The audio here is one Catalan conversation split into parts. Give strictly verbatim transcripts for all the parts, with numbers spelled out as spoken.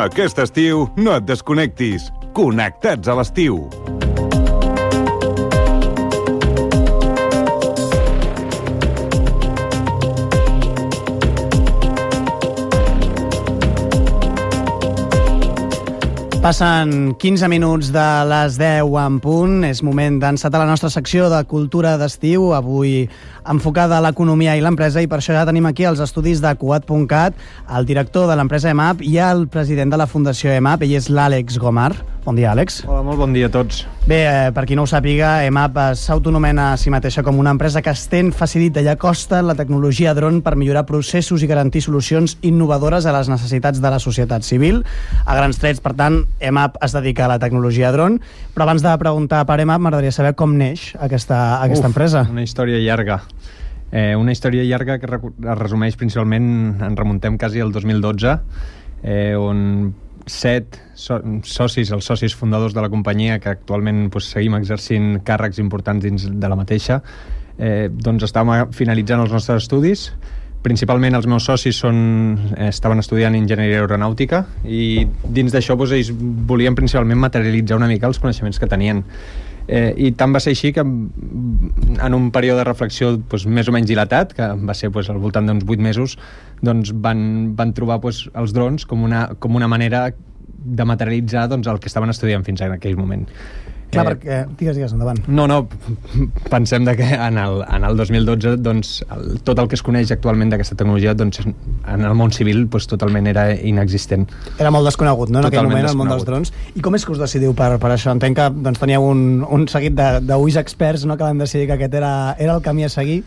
Aquest estiu no et desconnectis. Connectats a l'estiu. Passen quinze minuts de les deu en punt. És moment d'encetar la nostra secció de cultura d'estiu, avui enfocada a l'economia i l'empresa, i per això ja tenim aquí els estudis de Cuat punt cat, el director de l'empresa E M A P i el president de la Fundació E M A P, ell és l'Àlex Gomar. Bon dia, Àlex. Hola, molt bon dia a tots. Bé, eh, per qui no ho sàpiga, E M A P s'autonomena a si mateixa com una empresa que estén, facilita i acosta la tecnologia dron per millorar processos i garantir solucions innovadores a les necessitats de la societat civil. A grans trets, per tant, E M A P es dedica a la tecnologia dron, però abans de preguntar per E M A P m'agradaria saber com neix aquesta, aquesta Uf, empresa. Una història llarga. Eh, una història llarga que es resumeix principalment, en remuntem quasi al dos mil dotze, eh, on set so socis, els socis fundadors de la companyia, que actualment pues, seguim exercint càrrecs importants dins de la mateixa, eh, doncs estàvem finalitzant els nostres estudis. Principalment els meus socis són, eh, estaven estudiant enginyeria aeronàutica i dins d'això doncs, ells volien principalment materialitzar una mica els coneixements que tenien. Eh, I tant va ser així que en un període de reflexió doncs, més o menys dilatat, que va ser doncs, al voltant d'uns vuit mesos, doncs, van, van trobar doncs, els drons com una, com una manera de materialitzar doncs, el que estaven estudiant fins en aquell moment. Clar, eh, perquè... Digues, digues, endavant. No, no, pensem de que en el, en el dos mil dotze doncs, el, tot el que es coneix actualment d'aquesta tecnologia doncs, en el món civil doncs, totalment era inexistent. Era molt desconegut, no?, en aquell Totalment moment, el món dels drons. I com és que us decidiu per, per això? Entenc que doncs, teníeu un, un seguit d'ulls experts, no?, que van decidir que aquest era, era el camí a seguir.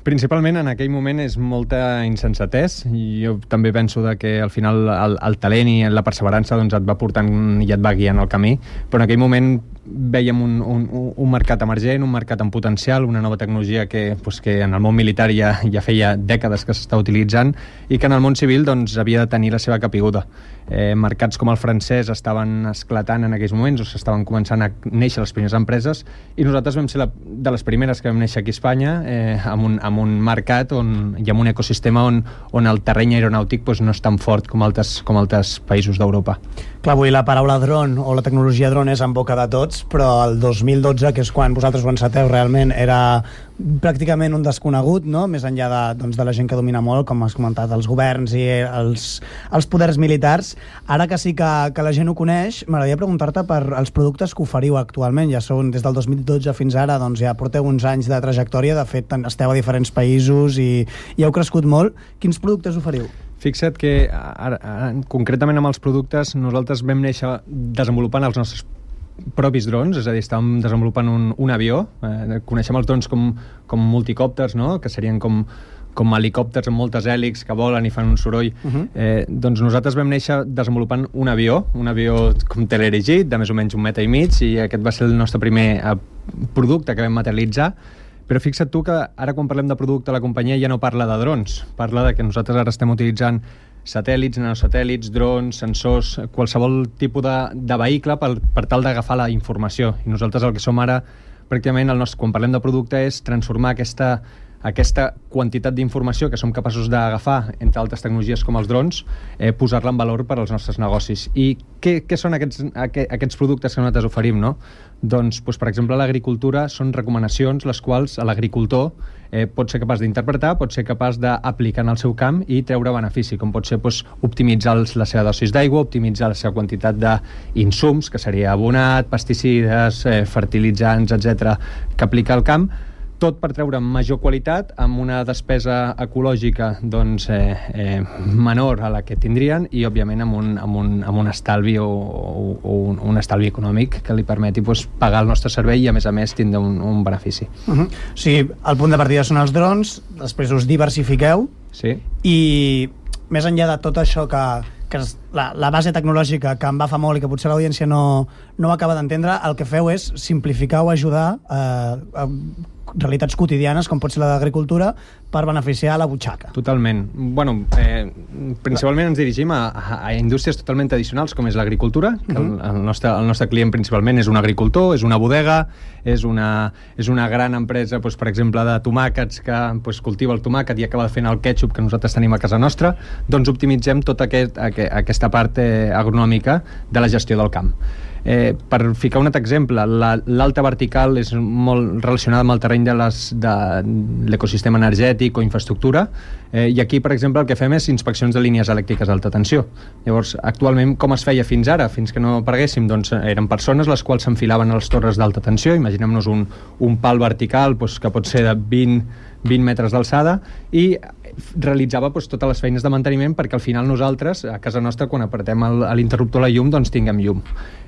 Principalment en aquell moment és molta insensatès, i jo també penso de que al final el, el talent i la perseverança doncs, et va portant i et va guiant el camí, però en aquell moment vèiem un, un, un mercat emergent, un mercat en potencial, una nova tecnologia que, pues, que en el món militar ja, ja feia dècades que s'està utilitzant i que en el món civil doncs, havia de tenir la seva capiguda. Eh, mercats com el francès estaven esclatant en aquells moments, o s'estaven començant a néixer les primeres empreses, i nosaltres vam ser la, de les primeres que vam néixer aquí a Espanya, eh, amb, un, amb un mercat on, i amb un ecosistema on, on el terreny aeronàutic pues, no és tan fort com altres, com altres països d'Europa. Clar, avui la paraula dron o la tecnologia dron és en boca de tots, però el dos mil dotze, que és quan vosaltres ho enceteu, realment era pràcticament un desconegut, no?, més enllà de, doncs, de la gent que domina molt, com has comentat, els governs i els, els poders militars. Ara que sí que, que la gent ho coneix, m'agradaria preguntar-te per els productes que oferiu actualment. Ja són des del dos mil dotze fins ara, doncs ja porteu uns anys de trajectòria, de fet esteu a diferents països i, i heu crescut molt. Quins productes oferiu? Fixa't que ara, ara, concretament amb els productes nosaltres vam néixer desenvolupant els nostres propis drons, és a dir, estàvem desenvolupant un, un avió. Eh, coneixem els drons com, com multicòpters, no?, que serien com, com helicòpters amb moltes hèlixs que volen i fan un soroll. Uh-huh. eh, doncs nosaltres vam néixer desenvolupant un avió, un avió com teleerigit, de més o menys un metre i mig, i aquest va ser el nostre primer eh, producte que vam materialitzar. Però fixa't tu que ara quan parlem de producte la companyia ja no parla de drons, parla de que nosaltres ara estem utilitzant satèl·lits, nanosatèl·lits, drons, sensors, qualsevol tipus de, de vehicle per, per tal d'agafar la informació. I nosaltres el que som ara, pràcticament, el nostre, quan parlem de producte, és transformar aquesta, aquesta quantitat d'informació que som capaços d'agafar, entre altres tecnologies com els drons, eh, posar-la en valor per als nostres negocis. I què, què són aquests, aquests productes que nosaltres oferim, no? Doncs, doncs, per exemple, l'agricultura són recomanacions les quals l'agricultor eh, pot ser capaç d'interpretar, pot ser capaç d'aplicar en el seu camp i treure benefici, com pot ser doncs, optimitzar la seva dosis d'aigua, optimitzar la seva quantitat d'insums, que seria abonat, pesticides, eh, fertilitzants, etcètera, que aplica al camp, tot per treure major qualitat amb una despesa ecològica doncs, eh, eh, menor a la que tindrien i, òbviament, amb un, amb un, amb un estalvi o, o, o un, un estalvi econòmic que li permeti doncs, pagar el nostre servei i, a més a més, tindre un, un benefici. Uh-huh. O sigui, el punt de partida són els drons, després us diversifiqueu, sí. I més enllà de tot això que, que és la, la base tecnològica que em va fa molt i que potser l'audiència no, no acaba d'entendre, el que feu és simplificar o ajudar eh, a realitats quotidianes, com pot ser la d'agricultura, per beneficiar la butxaca. Totalment. Bueno, eh, principalment ens dirigim a, a indústries totalment tradicionals, com és l'agricultura, que el, el, nostre, el nostre client principalment és un agricultor, és una bodega, és una, és una gran empresa, doncs, per exemple, de tomàquets que doncs, cultiva el tomàquet i acaba fent el ketchup que nosaltres tenim a casa nostra. Doncs optimitzem tota aquest, aquesta part eh, agronòmica de la gestió del camp. Eh, per ficar un altre exemple, l'alta vertical és molt relacionada amb el terreny de les, de l'ecosistema energètic o infraestructura, eh, i aquí, per exemple, el que fem és inspeccions de línies elèctriques d'alta tensió. Llavors, actualment, com es feia fins ara, fins que no apareguéssim? Doncs eren persones les quals s'enfilaven a les torres d'alta tensió. Imaginem-nos un, un pal vertical doncs, que pot ser de vint, vint metres d'alçada, i realitzava doncs, totes les feines de manteniment perquè al final nosaltres, a casa nostra, quan apretem el, l'interruptor a la llum, doncs tinguem llum.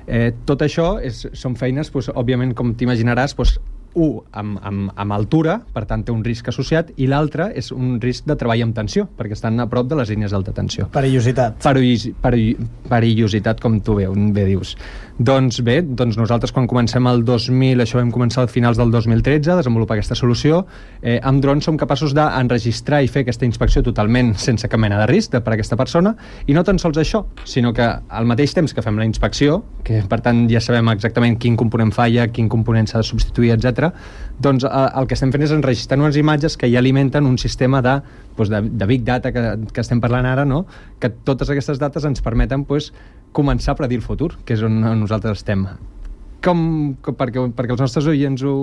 Eh, tot això és, són feines, doncs, òbviament, com t'imaginaràs, doncs, un, amb, amb, amb altura, per tant té un risc associat, i l'altre és un risc de treball amb tensió, perquè estan a prop de les línies d'alta tensió. Perillositat. Perillos, perill, perillositat, com tu bé, bé dius. Doncs bé, doncs nosaltres quan comencem el dos mil, això vam començar a finals del dos mil tretze a desenvolupar aquesta solució, eh, amb drons som capaços d'enregistrar i fer aquesta inspecció totalment sense cap mena de risc per a aquesta persona, i no tan sols això, sinó que al mateix temps que fem la inspecció, que per tant ja sabem exactament quin component falla, quin component s'ha de substituir, etcètera, doncs eh, el que estem fent és enregistrar unes imatges que ja alimenten un sistema de, doncs, de, de Big Data que, que estem parlant ara, no? Que totes aquestes dates ens permeten doncs, començar a predir el futur, que és on nosaltres estem. Com, com perquè, perquè els nostres oients ho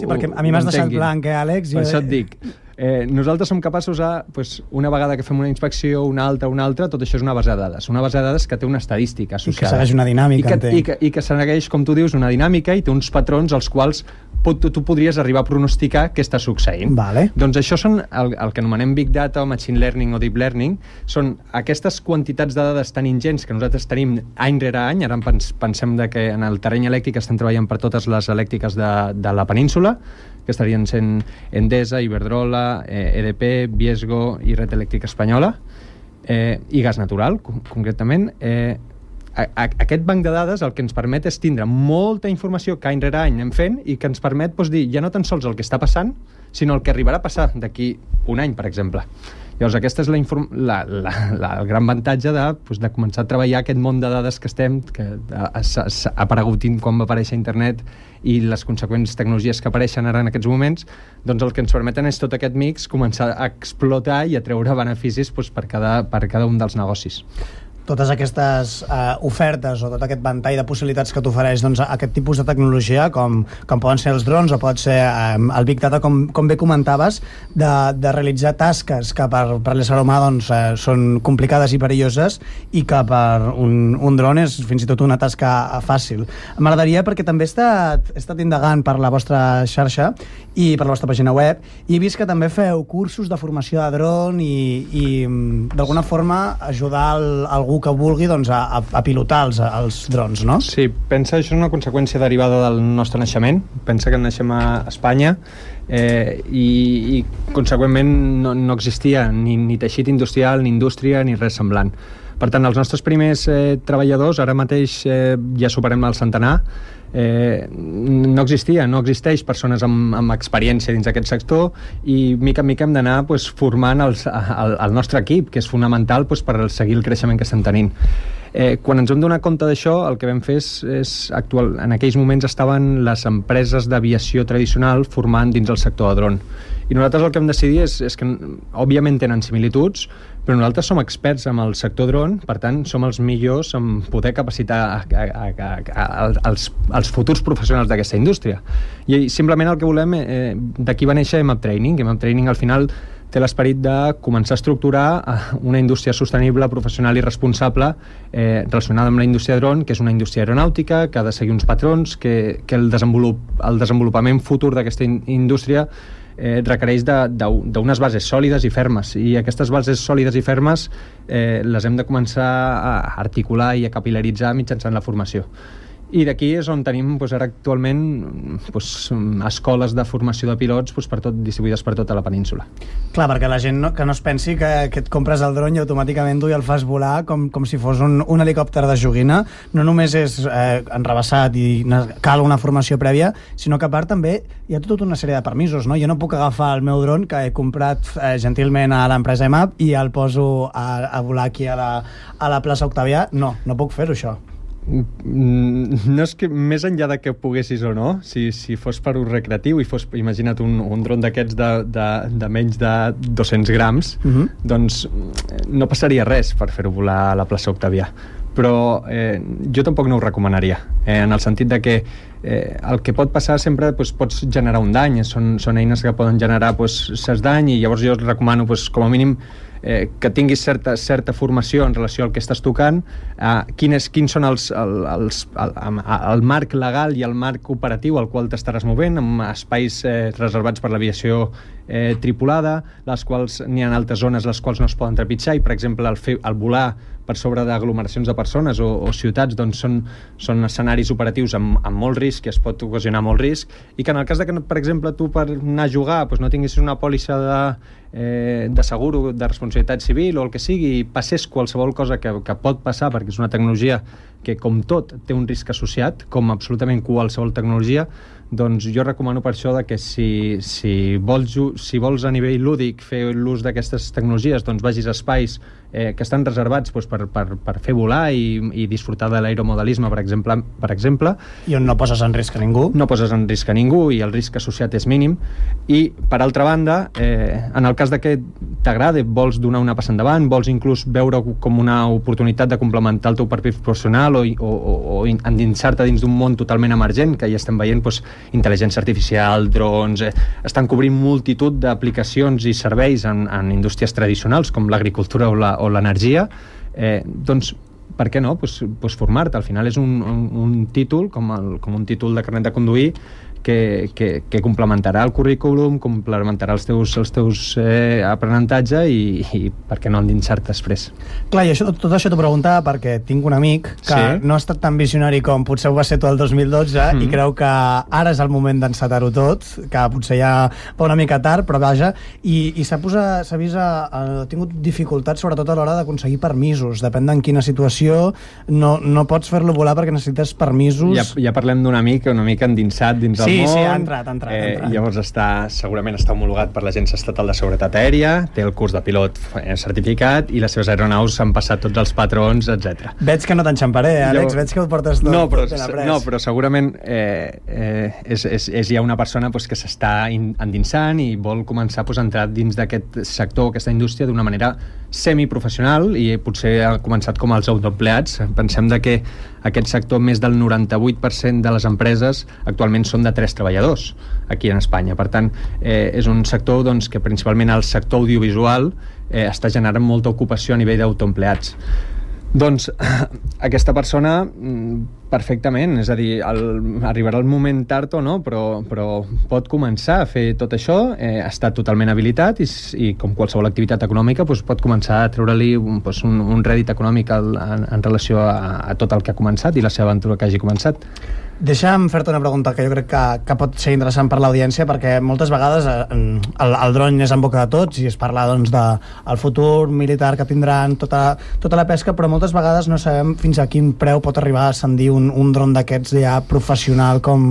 Sí, perquè a mi m'has deixat blanc, eh, Àlex? Per això et dic. Eh, nosaltres som capaços a, pues, una vegada que fem una inspecció, una altra, una altra, tot això és una base de dades. Una base de dades que té una estadística associada. I que segueix una dinàmica, I que, i que, i que segueix, com tu dius, una dinàmica i té uns patrons als quals pot, tu, tu podries arribar a pronosticar què està succeint. Vale. Doncs això són el, el que anomenem Big Data o Machine Learning o Deep Learning, són aquestes quantitats de dades tan ingents que nosaltres tenim any rere any. Ara pens, pensem de que en el terreny elèctric estem treballant per totes les elèctriques de, de la península, que estarien sent Endesa, Iberdrola, eh, E D P, Viesgo i Red Elèctrica Espanyola, eh, i gas natural, con concretament. Eh, a, a, aquest banc de dades el que ens permet és tindre molta informació que any rere any anem fent i que ens permet doncs, dir ja no tan sols el que està passant, sinó el que arribarà a passar d'aquí un any, per exemple. Llavors, aquesta és la, la, la, la, el gran avantatge de, doncs, de començar a treballar aquest món de dades que estem, que ha, ha, ha aparegut quan va aparèixer internet i les conseqüents tecnologies que apareixen ara en aquests moments, doncs el que ens permeten és tot aquest mix començar a explotar i a treure beneficis doncs, per, cada, per cada un dels negocis. Totes aquestes eh, ofertes o tot aquest ventall de possibilitats que t'ofereix doncs, aquest tipus de tecnologia, com, com poden ser els drons o pot ser eh, el Big Data, com, com bé comentaves, de, de realitzar tasques que per, per l'ésser humà doncs, eh, són complicades i perilloses i que per un, un dron és fins i tot una tasca fàcil. M'agradaria, perquè també he estat, he estat indagant per la vostra xarxa i per la vostra pàgina web, i he vist que també feu cursos de formació de dron i, i d'alguna forma ajudar el, algú que vulgui doncs, a, a pilotar els, els drons, no? Sí, pensa, això és una conseqüència derivada del nostre naixement. Pensa que naixem a Espanya eh, i, i conseqüentment no, no existia ni, ni teixit industrial, ni indústria, ni res semblant. Per tant, els nostres primers eh, treballadors, ara mateix eh, ja superem el centenar, eh, no existia, no existeix persones amb, amb experiència dins d'aquest sector, i mica en mica hem d'anar pues, formant els, el, el nostre equip, que és fonamental pues, per seguir el creixement que estem tenint. Eh, quan ens vam donar compte d'això, el que vam fer és, és actual, en aquells moments estaven les empreses d'aviació tradicional formant dins el sector de dron. I nosaltres el que vam decidir és, és que, òbviament, tenen similituds, però nosaltres som experts en el sector dron, per tant, som els millors en poder capacitar a, a, a, a, a, als, als futurs professionals d'aquesta indústria. I simplement el que volem, eh, d'aquí va néixer EMAP Training. EMAP Training, al final, té l'esperit de començar a estructurar una indústria sostenible, professional i responsable eh, relacionada amb la indústria de dron, que és una indústria aeronàutica, que ha de seguir uns patrons, que, que el, desenvolup, el desenvolupament futur d'aquesta in, indústria eh, requereix d'unes bases sòlides i fermes, i aquestes bases sòlides i fermes eh, les hem de començar a articular i a capilaritzar mitjançant la formació. I d'aquí és on tenim doncs, ara actualment doncs, escoles de formació de pilots doncs, per tot, distribuïdes per tota la península. Clar, perquè la gent no, que no es pensi que, que et compres el dron i automàticament tu i el fas volar com, com si fos un, un helicòpter de joguina. No només és eh, enrebaçat i cal una formació prèvia, sinó que a part també hi ha tota una sèrie de permisos, no? Jo no puc agafar el meu dron que he comprat eh, gentilment a l'empresa E M A P i el poso a, a volar aquí a la, a la plaça Octavià. No, no puc fer-ho, això. No és que més enllà de que poguessis o no, si, si fos per ús recreatiu i fos, imagina't un, un dron d'aquests de, de, de menys de dos-cents grams, uh-huh. doncs no passaria res per fer-ho volar a la plaça Octavià, però eh, jo tampoc no ho recomanaria, eh, en el sentit de que eh, el que pot passar sempre doncs, pots generar un dany, són, són eines que poden generar doncs, certs dany, i llavors jo recomano doncs, com a mínim Eh, que tinguis certa, certa formació en relació al que estàs tocant, eh, quins, quins són els, el, els, el, el marc legal i el marc operatiu al qual t'estaràs movent, amb espais eh, reservats per l'aviació eh, tripulada, les quals n'hi ha altres zones les quals no es poden trepitjar, i per exemple el, fer, el volar per sobre d'aglomeracions de persones o, o ciutats doncs són, són escenaris operatius amb, amb molt risc, i es pot ocasionar molt risc, i que en el cas de que, per exemple, tu per anar a jugar doncs no tinguis una pòlissa de, eh, de seguro de responsabilitat civil o el que sigui, i passés qualsevol cosa que, que pot passar, perquè és una tecnologia que, com tot, té un risc associat, com absolutament qualsevol tecnologia, doncs jo recomano per això de que si, si, vols, si vols a nivell lúdic fer l'ús d'aquestes tecnologies, doncs vagis a espais eh, que estan reservats doncs, per, per, per fer volar i, i disfrutar de l'aeromodelisme, per exemple, per exemple. I on no poses en risc a ningú. No poses en risc a ningú i el risc associat és mínim. I, per altra banda, eh, en el cas de que t'agrada, vols donar una passa endavant, vols inclús veure com una oportunitat de complementar el teu perfil professional o, o, o, o endinsar-te dins d'un món totalment emergent, que ja estem veient doncs, intel·ligència artificial, drons, eh, estan cobrint multitud d'aplicacions i serveis en, en indústries tradicionals com l'agricultura o la, o l'energia, eh, doncs per què no? Pues, pues formar-te. Al final és un, un, un títol, com, el, com un títol de carnet de conduir, que, que, que complementarà el currículum, complementarà els teus, els teus eh, aprenentatge i, i per què no endinsar-te després. Clar, i això, tot això t'ho preguntava perquè tinc un amic que sí? no ha estat tan visionari com potser ho va ser tu el dos mil dotze mm. i creu que ara és el moment d'encetar-ho tot, que potser ja va una mica tard, però vaja, i, i s'ha posat, s'ha vist, a, a, ha tingut dificultats sobretot a l'hora d'aconseguir permisos, depèn d'en quina situació, no, no pots fer-lo volar perquè necessites permisos. Ja, ja parlem d'un amic una mica endinsat dins sí, el món. Sí, ha entrat, ha entrat. Eh, ha entrat. Llavors està, segurament està homologat per l'Agència Estatal de Seguretat Aèria, té el curs de pilot certificat i les seves aeronaus han passat tots els patrons, etcètera. Veig que no t'enxamparé, Àlex, Llavors, veig que ho portes tot, no, però, tot ben après. No, però segurament eh, eh, és, és, és ja una persona pues, que s'està endinsant i vol començar pues, a entrar dins d'aquest sector, aquesta indústria, d'una manera semiprofessional, i potser ha començat com els autoempleats. Pensem de que aquest sector, més del noranta-vuit per cent de les empreses actualment són de tres treballadors aquí en Espanya. Per tant, eh, és un sector doncs, que principalment el sector audiovisual eh, està generant molta ocupació a nivell d'autoempleats. Doncs aquesta persona perfectament, és a dir, el, arribarà el moment tard o no, però, però pot començar a fer tot això, eh, està totalment habilitat i, i com qualsevol activitat econòmica doncs, pot començar a treure-li doncs, un, un rèdit econòmic al, en, en relació a, a tot el que ha començat i la seva aventura que hagi començat. Deixa'm fer-te una pregunta que jo crec que, que pot ser interessant per l'audiència, perquè moltes vegades eh, el, el dron és en boca de tots i es parla doncs, de el futur militar que tindran, tota, tota la pesca, però moltes vegades no sabem fins a quin preu pot arribar a ascendir un, un dron d'aquests ja professional com...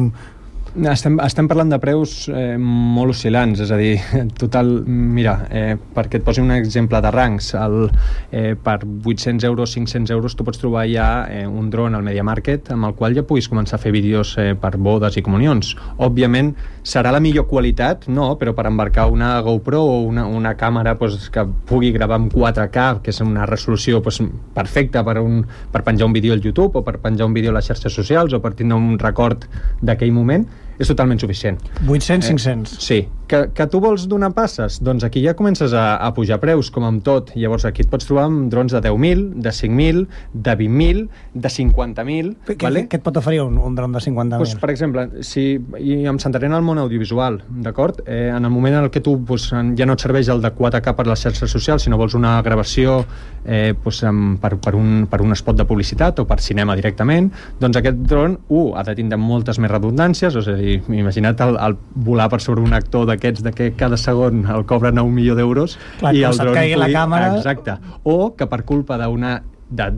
Estem, estem parlant de preus eh, molt oscil·lants, és a dir, total, mira, eh, perquè et posi un exemple de rangs, el, eh, per vuit-cents euros, cinc-cents euros tu pots trobar ja eh, un dron al Media Market amb el qual ja puguis començar a fer vídeos eh, per bodes i comunions. Òbviament serà la millor qualitat, no, però per embarcar una GoPro o una, una càmera pues, que pugui gravar amb quatre K, que és una resolució pues, perfecta per, un, per penjar un vídeo al YouTube o per penjar un vídeo a les xarxes socials o per tindre un record d'aquell moment, és totalment suficient. vuit-cents, cinc-cents? Eh, sí, Que, que tu vols donar passes? Doncs aquí ja comences a, a pujar preus, com amb tot. Llavors aquí et pots trobar amb drons de deu mil, de cinc mil, de vint mil, de cinquanta mil... Què, vale? què et pot oferir un, un dron de cinquanta mil? Pues, per exemple, si, i em centraré en el món audiovisual, d'acord? Eh, en el moment en què tu pues, ja no et serveix el de quatre K per les xarxes socials, sinó vols una gravació eh, pues, amb, per, per, un, per un spot de publicitat o per cinema directament, doncs aquest dron, un, ha de tindre moltes més redundàncies, és a dir, imagina't el, el volar per sobre un actor de d'aquests de que cada segon el cobren a un milió d'eus i el dron pugui... la càmera... Exacte. O que per culpa d'una de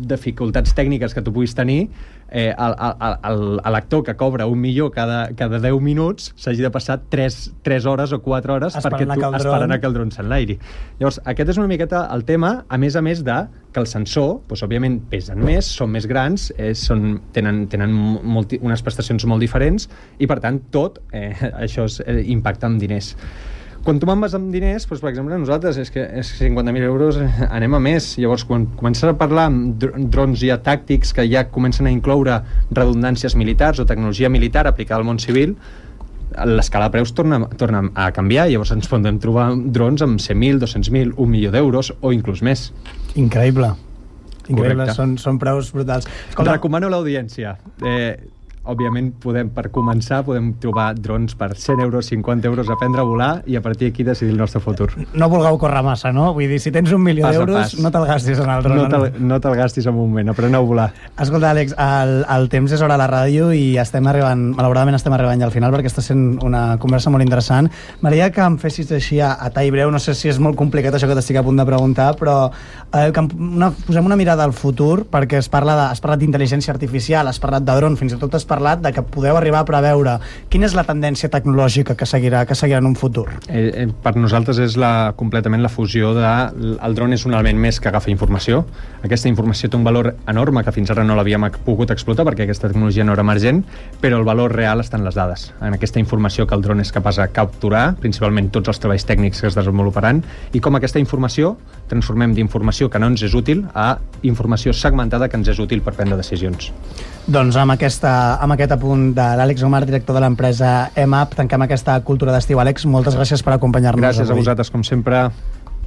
dificultats tècniques que tu puguis tenir, eh, l'actor que cobra un milió cada, cada deu minuts s'hagi de passar tres hores o quatre hores perquè tu, esperant que el dron s'enlairi. Llavors, aquest és una miqueta el tema, a més a més de que el sensor, doncs, òbviament, pesen més, són més grans, eh, són, tenen, tenen molti, unes prestacions molt diferents i, per tant, tot eh, això es, eh, impacta en diners. Quan tu me'n vas amb diners, doncs, per exemple, nosaltres és que és cinquanta mil euros anem a més. Llavors, quan comences a parlar amb drons ja tàctics que ja comencen a incloure redundàncies militars o tecnologia militar aplicada al món civil, l'escala de preus torna, torna a canviar. Llavors ens podem trobar drons amb cent mil, dos-cents mil, un milió d'euros o inclús més. Increïble. Increïble, són, són preus brutals. Escolta, recomano l'audiència. Eh, òbviament, podem, per començar, podem trobar drons per cent euros, cinquanta euros a aprendre a volar i a partir d'aquí decidir el nostre futur. No vulgueu córrer massa, no? Vull dir, si tens un milió d'euros, no te'l gastis en el dron. No te'l no te gastis en un moment, apreneu a volar. Escolta, Àlex, el, el temps és hora a la ràdio i estem arribant, malauradament estem arribant ja al final perquè està sent una conversa molt interessant. M'agradaria que em fessis així a, a tall breu, no sé si és molt complicat això que t'estic a punt de preguntar, però eh, que una, posem una mirada al futur perquè es parla de, has parlat d'intel·ligència artificial, has parlat de dron, fins i tot has parlat de que podeu arribar a preveure quina és la tendència tecnològica que seguirà, que seguirà en un futur. Eh, eh, per nosaltres és la, completament la fusió de... El dron és un element més que agafa informació. Aquesta informació té un valor enorme que fins ara no l'havíem pogut explotar perquè aquesta tecnologia no era emergent, però el valor real està en les dades, en aquesta informació que el dron és capaç de capturar, principalment tots els treballs tècnics que es desenvoluparan, i com aquesta informació transformem d'informació que no ens és útil a informació segmentada que ens és útil per prendre decisions. Doncs amb, aquesta, amb aquest apunt de l'Àlex Omar, director de l'empresa E M A P, tanquem aquesta cultura d'estiu. Àlex, moltes gràcies per acompanyar-nos Gràcies avui. a vosaltres, com sempre.